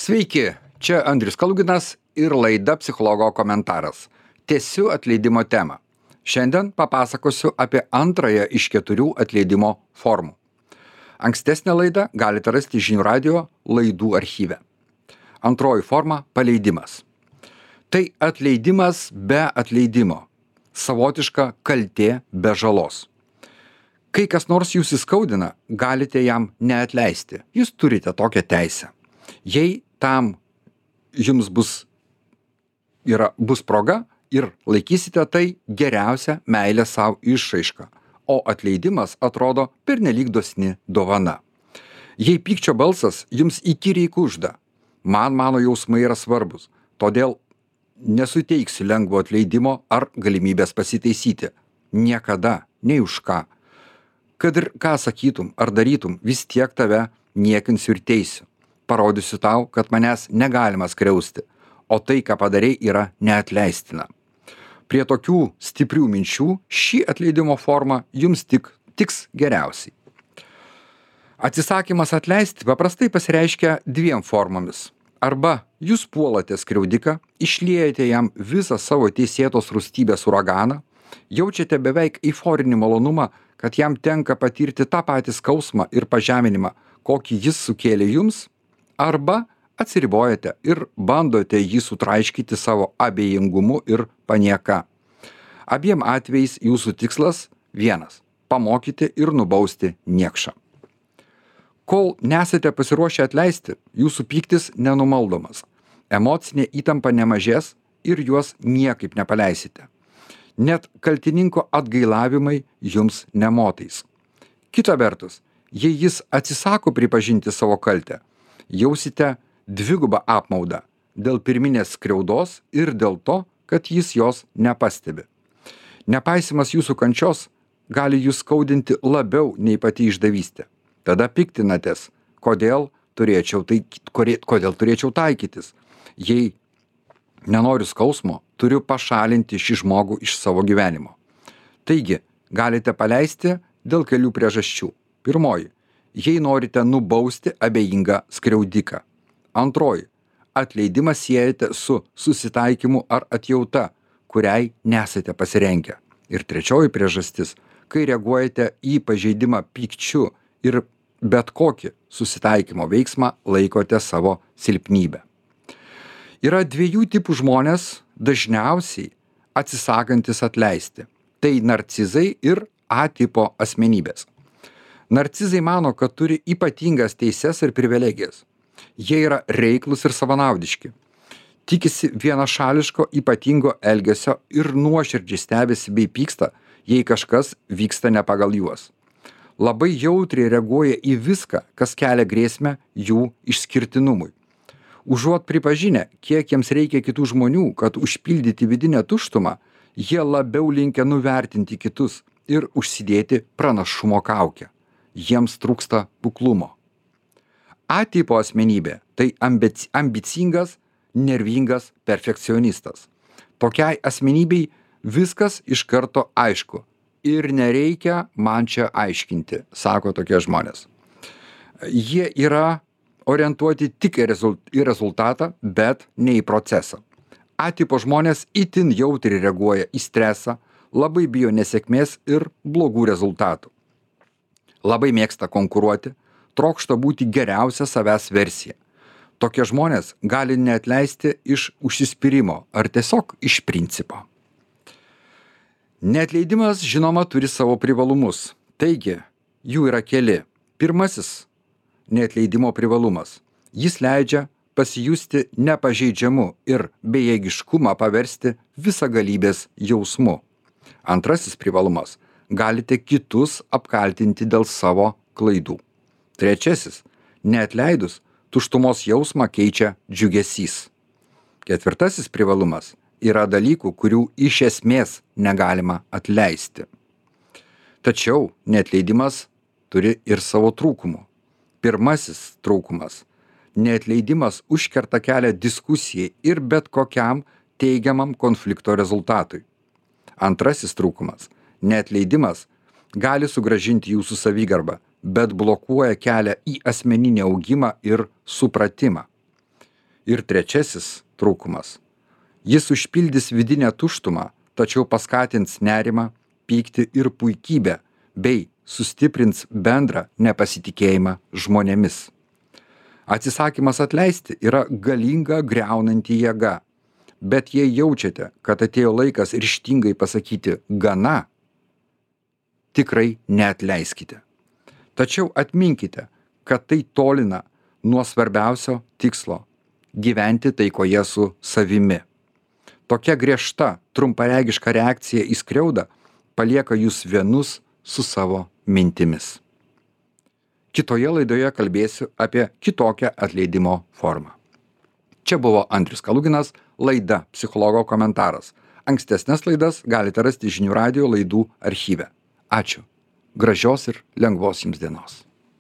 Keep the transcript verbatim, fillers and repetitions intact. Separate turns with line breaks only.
Sveiki, čia Andrius Kaluginas ir laida Psichologo komentaras. Tęsiu atleidimo temą. Šiandien papasakosiu apie antrąją iš keturių atleidimo formų. Ankstesnę laidą galite rasti Žinių radijo laidų archyve. Antroji forma – paleidimas. Tai atleidimas be atleidimo. Savotiška kaltė be žalos. Kai kas nors jūs įskaudina, galite jam neatleisti. Jūs turite tokią teisę. Jei tam jums bus, yra, bus proga ir laikysite tai geriausia meilė savo išraiška, o atleidimas atrodo pernelyg dosni dovana. Jei pykčio balsas jums įkyriai kužda, man mano jausmai yra svarbus, todėl nesuteiksiu lengvo atleidimo ar galimybės pasitaisyti. Niekada, nei už ką. Kad ir ką sakytum ar darytum, vis tiek tave niekinsiu ir teisiu. Parodysiu tau, kad manęs negalima skriausti, o tai, ką padarei, yra neatleistina. Prie tokių stiprių minčių šį atleidimo formą jums tik tiks geriausiai. Atsisakymas atleisti paprastai pasireiškia dviem formomis. Arba jūs puolate skriaudiką, išliejate jam visą savo teisėtos rūstybės uraganą, jaučiate beveik eiforinį malonumą, kad jam tenka patirti tą patį skausmą ir pažeminimą, kokį jis sukėlė jums, arba atsiribojate ir bandote jį sutraiškyti savo abejingumu ir panieka. Abiem atvejais jūsų tikslas vienas – pamokyti ir nubausti niekšą. Kol nesate pasiruošę atleisti, jūsų pyktis nenumaldomas. Emocinė įtampa nemažės ir juos niekaip nepaleisite. Net kaltininko atgailavimai jums nemotais. Kita vertus, jei jis atsisako pripažinti savo kaltę, jausite dvigubą apmaudą dėl pirminės skriaudos ir dėl to, kad jis jos nepastebi. Nepaisimas jūsų kančios gali jūs skaudinti labiau nei pati išdavystė. Tada piktinatės, kodėl turėčiau, tai, kodėl turėčiau taikytis. Jei nenoriu skausmo, turiu pašalinti šį žmogų iš savo gyvenimo. Taigi, galite paleisti dėl kelių priežasčių. Pirmoji. Jei norite nubausti abejingą skriaudiką. Antroji. Atleidimą siejate su susitaikymu ar atjauta, kuriai nesate pasirengę. Ir trečioji priežastis, kai reaguojate į pažeidimą pykčiu ir bet kokį susitaikymo veiksmą laikote savo silpnybę. Yra dviejų tipų žmonės, dažniausiai atsisakantis atleisti. Tai narcizai ir A tipo asmenybės. Narcizai mano, kad turi ypatingas teises ir privilegijas. Jie yra reiklus ir savanaudiški. Tikisi vienašališko ypatingo elgesio ir nuoširdžiai stebisi bei pyksta, jei kažkas vyksta ne pagal juos. Labai jautriai reaguoja į viską, kas kelia grėsmę jų išskirtinumui. Užuot pripažinę, kiek jiems reikia kitų žmonių, kad užpildyti vidinę tuštumą, jie labiau linkę nuvertinti kitus ir užsidėti pranašumo kaukę. Jiems trūksta kuklumo. A tipo asmenybė – tai ambic, ambicingas, nervingas perfekcionistas. Tokiai asmenybei viskas iš karto aišku ir nereikia man čia aiškinti, sako tokie žmonės. Jie yra orientuoti tik į rezultatą, bet ne į procesą. A tipo žmonės itin jautriai reaguoja į stresą, labai bijo nesėkmės ir blogų rezultatų. Labai mėgsta konkuruoti, trokšta būti geriausia savęs versija. Tokie žmonės gali neatleisti iš užsispyrimo ar tiesiog iš principo. Neatleidimas, žinoma, turi savo privalumus. Taigi, jų yra keli. Pirmasis neatleidimo privalumas. Jis leidžia pasijusti nepažeidžiamu ir bejėgiškumą paversti visagalybės jausmu. Antrasis privalumas. Galite kitus apkaltinti dėl savo klaidų. Trečiasis. Neatleidus, tuštumos jausmą keičia džiugesys. Ketvirtasis privalumas. Yra dalykų, kurių iš esmės negalima atleisti. Tačiau neatleidimas turi ir savo trūkumų. Pirmasis trūkumas. Neatleidimas užkerta kelią diskusijai ir bet kokiam teigiamam konflikto rezultatui. Antrasis trūkumas. Neatleidimas gali sugrąžinti jūsų savigarbą, bet blokuoja kelią į asmeninį augimą ir supratimą. Ir trečiasis trūkumas. Jis užpildys vidinę tuštumą, tačiau paskatins nerimą, pyktį ir puikybę, bei sustiprins bendrą nepasitikėjimą žmonėmis. Atsisakymas atleisti yra galinga griaunanti jėga, bet jei jaučiate, kad atėjo laikas ryžtingai pasakyti gana, tikrai neatleiskite. Tačiau atminkite, kad tai tolina nuo svarbiausio tikslo - gyventi taikoje su savimi. Tokia griežta, trumparegiška reakcija į skriaudą palieka jūs vienus su savo mintimis. Kitoje laidoje kalbėsiu apie kitokią atleidimo formą. Čia buvo Andrius Kaluginas, laida Psichologo komentaras. Ankstesnes laidas galite rasti žinių radijo laidų archyve. Ačiū. Gražios ir lengvos jums dienos.